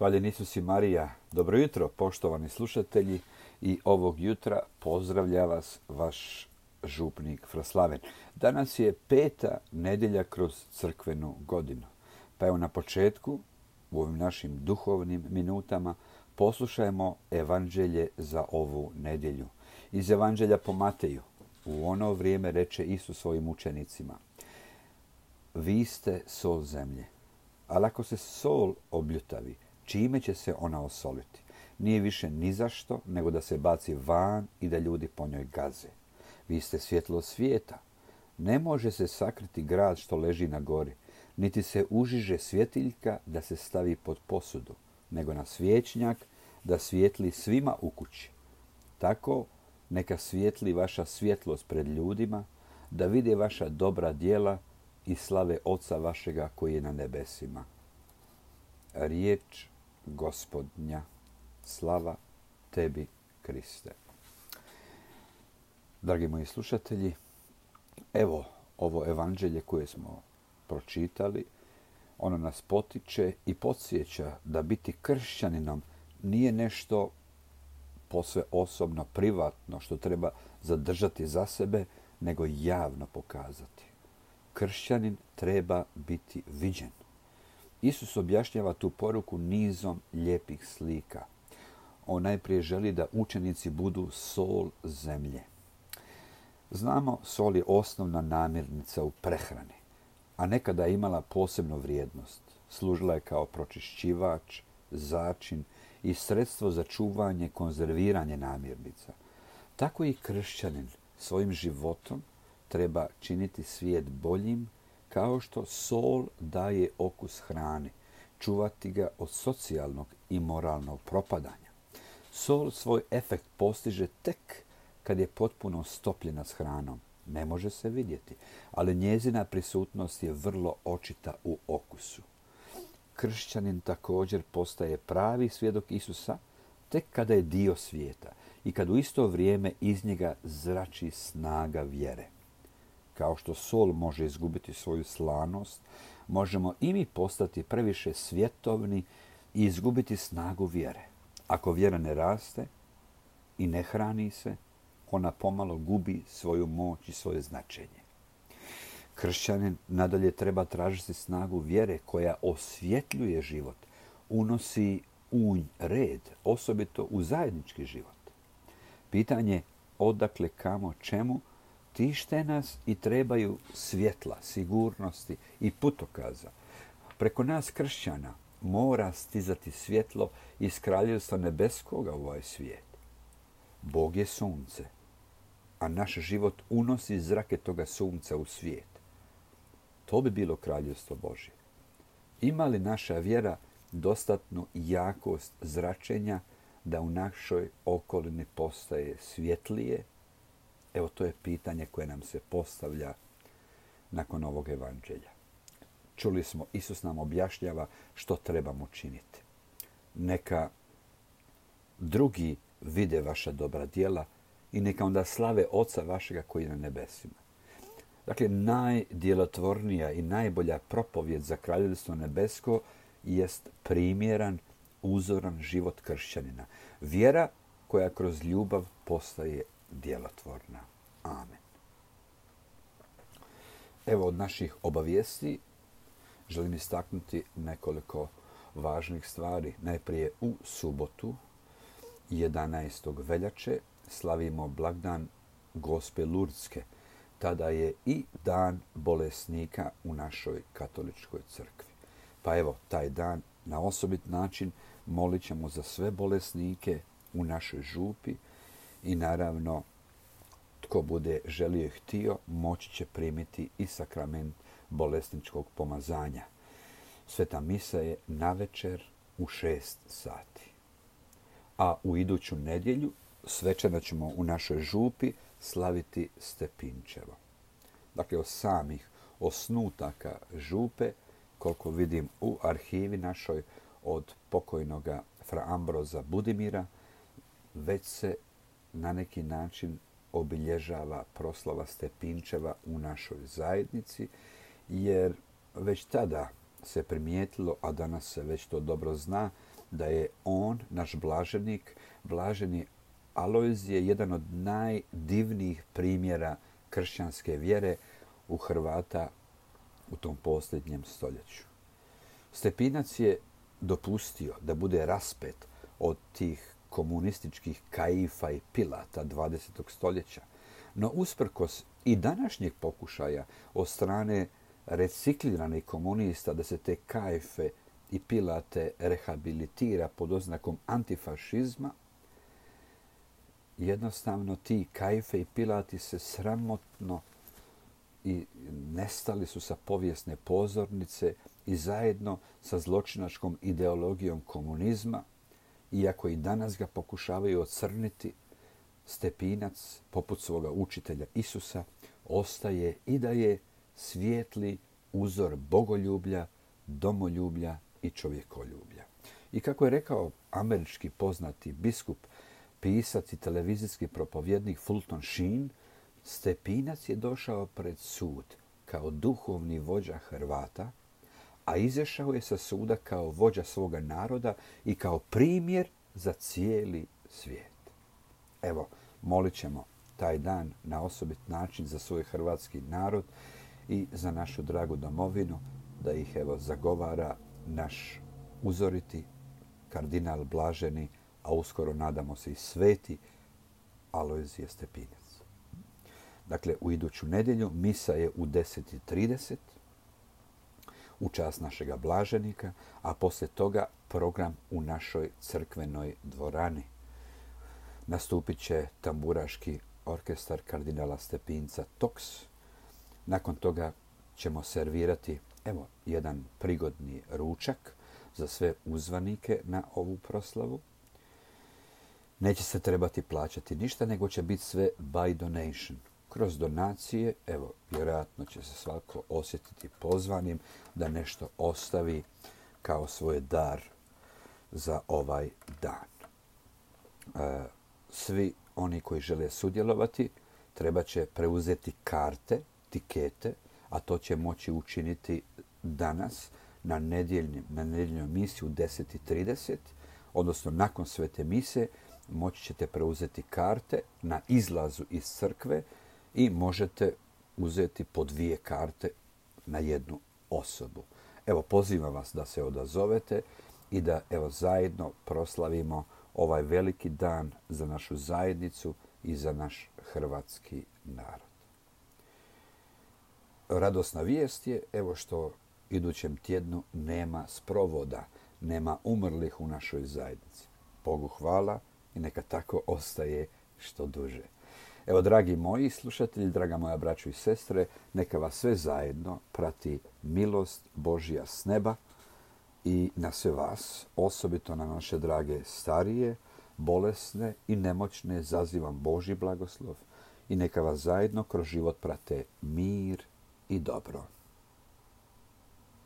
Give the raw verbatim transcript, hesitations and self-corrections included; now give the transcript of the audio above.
Hvaljen Isus i Marija. Dobro jutro, poštovani slušatelji, i ovog jutra pozdravlja vas vaš župnik Fra Slaven. Danas je peta nedjelja kroz crkvenu godinu. Pa evo na početku, u ovim našim duhovnim minutama, poslušajmo evanđelje za ovu nedjelju. Iz evanđelja po Mateju. U ono vrijeme reče Isus svojim učenicima: vi ste sol zemlje, ali ako se sol obljutavi, čime će se ona osoliti? Nije više ni zašto, nego da se baci van i da ljudi po njoj gaze. Vi ste svjetlo svijeta. Ne može se sakriti grad što leži na gori, niti se užiže svjetiljka da se stavi pod posudu, nego na svječnjak da svijetli svima u kući. Tako neka svijetli vaša svjetlost pred ljudima, da vide vaša dobra djela i slave Oca vašega koji je na nebesima. Riječ Gospodnja. Slava tebi, Kriste. Dragi moji slušatelji, evo ovo evanđelje koje smo pročitali, ono nas potiče i podsjeća da biti kršćaninom nije nešto posve osobno, privatno, što treba zadržati za sebe, nego javno pokazati. Kršćanin treba biti viđen. Isus objašnjava tu poruku nizom lijepih slika. On najprije želi da učenici budu sol zemlje. Znamo, sol je osnovna namirnica u prehrani, a nekada je imala posebnu vrijednost. Služila je kao pročišćivač, začin i sredstvo za čuvanje, konzerviranje namirnica. Tako i kršćanin svojim životom treba činiti svijet boljim, kao što sol daje okus hrani, čuvati ga od socijalnog i moralnog propadanja. Sol svoj efekt postiže tek kad je potpuno stopljena s hranom. Ne može se vidjeti, ali njezina prisutnost je vrlo očita u okusu. Kršćanin također postaje pravi svjedok Isusa tek kada je dio svijeta i kad u isto vrijeme iz njega zrači snaga vjere. Kao što sol može izgubiti svoju slanost, možemo i mi postati previše svjetovni i izgubiti snagu vjere. Ako vjera ne raste i ne hrani se, ona pomalo gubi svoju moć i svoje značenje. Kršćanin nadalje treba tražiti snagu vjere koja osvjetljuje život, unosi unj, red, osobito u zajednički život. Pitanje odakle, kamo, čemu, tište nas i trebaju svjetla, sigurnosti i putokaza. Preko nas kršćana mora stizati svjetlo iz kraljevstva nebeskoga u ovaj svijet. Bog je sunce, a naš život unosi zrake toga sunca u svijet. To bi bilo kraljevstvo Božje. Ima li naša vjera dostatnu jakost zračenja da u našoj okolini postaje svjetlije? Evo, to je pitanje koje nam se postavlja nakon ovog evanđelja. Čuli smo, Isus nam objašnjava što trebamo činiti. Neka drugi vide vaša dobra djela i neka onda slave Oca vašega koji je na nebesima. Dakle, najdjelotvornija i najbolja propovjed za kraljevstvo nebesko jest primjeran, uzoran život kršćanina. Vjera koja kroz ljubav postaje djelotvorna. Amen. Evo od naših obavijesti želim istaknuti nekoliko važnih stvari. Najprije u subotu, jedanaestog veljače, slavimo blagdan Gospe Lurdske. Tada je i dan bolesnika u našoj katoličkoj crkvi. Pa evo, taj dan na osobit način molit ćemo za sve bolesnike u našoj župi i naravno tko bude želio i htio moći će primiti i sakrament bolesničkog pomazanja. Sveta misa je navečer u šest sati. A u iduću nedjelju svečano ćemo u našoj župi slaviti Stepinčevo. Dakle, od samih osnutaka župe, koliko vidim u arhivi našoj od pokojnoga fra Ambroza Budimira, već se na neki način obilježava proslava Stepinčeva u našoj zajednici, jer već tada se primijetilo, a danas se već to dobro zna, da je on, naš blaženik, blaženi Alojzije, jedan od najdivnijih primjera kršćanske vjere u Hrvata u tom posljednjem stoljeću. Stepinac je dopustio da bude raspet od tih komunističkih Kaifa i Pilata dvadesetog stoljeća, no usprkos i današnjeg pokušaja od strane recikliranih komunista da se te Kaife i Pilate rehabilitira pod oznakom antifašizma, jednostavno ti Kaife i Pilati se sramotno i nestali su sa povijesne pozornice i zajedno sa zločinačkom ideologijom komunizma, iako i danas ga pokušavaju ocrniti, Stepinac, poput svoga učitelja Isusa, ostaje i da je svijetli uzor bogoljublja, domoljublja i čovjekoljublja. I kako je rekao američki poznati biskup, pisac i televizijski propovjednik Fulton Sheen, Stepinac je došao pred sud kao duhovni vođa Hrvata, a izašao je sa suda kao vođa svoga naroda i kao primjer za cijeli svijet. Evo, molit ćemo taj dan na osobit način za svoj hrvatski narod i za našu dragu domovinu, da ih evo zagovara naš uzoriti kardinal blaženi, a uskoro nadamo se i sveti Alojzije Stepinac. Dakle, u iduću nedjelju misa je u deset i trideset u čast našega blaženika, a poslije toga program u našoj crkvenoj dvorani. Nastupit će tamburaški orkestar kardinala Stepinca Toks. Nakon toga ćemo servirati evo jedan prigodni ručak za sve uzvanike na ovu proslavu. Neće se trebati plaćati ništa, nego će biti sve by donation. Kroz donacije, evo, vjerojatno će se svako osjetiti pozvanim da nešto ostavi kao svoj dar za ovaj dan. E, svi oni koji žele sudjelovati treba će preuzeti karte, tikete, a to će moći učiniti danas na nedjeljnoj na nedjeljnoj misi u deset i trideset, odnosno nakon svete mise moći ćete preuzeti karte na izlazu iz crkve i možete uzeti po dvije karte na jednu osobu. Evo, pozivam vas da se odazovete i da evo zajedno proslavimo ovaj veliki dan za našu zajednicu i za naš hrvatski narod. Radosna vijest je evo što idućem tjednu nema sprovoda, nema umrlih u našoj zajednici. Bogu hvala i neka tako ostaje što duže. Evo, dragi moji slušatelji, draga moja braćo i sestre, neka vas sve zajedno prati milost Božja s neba i na sve vas, osobito na naše drage starije, bolesne i nemoćne, zazivam Božji blagoslov i neka vas zajedno kroz život prate mir i dobro.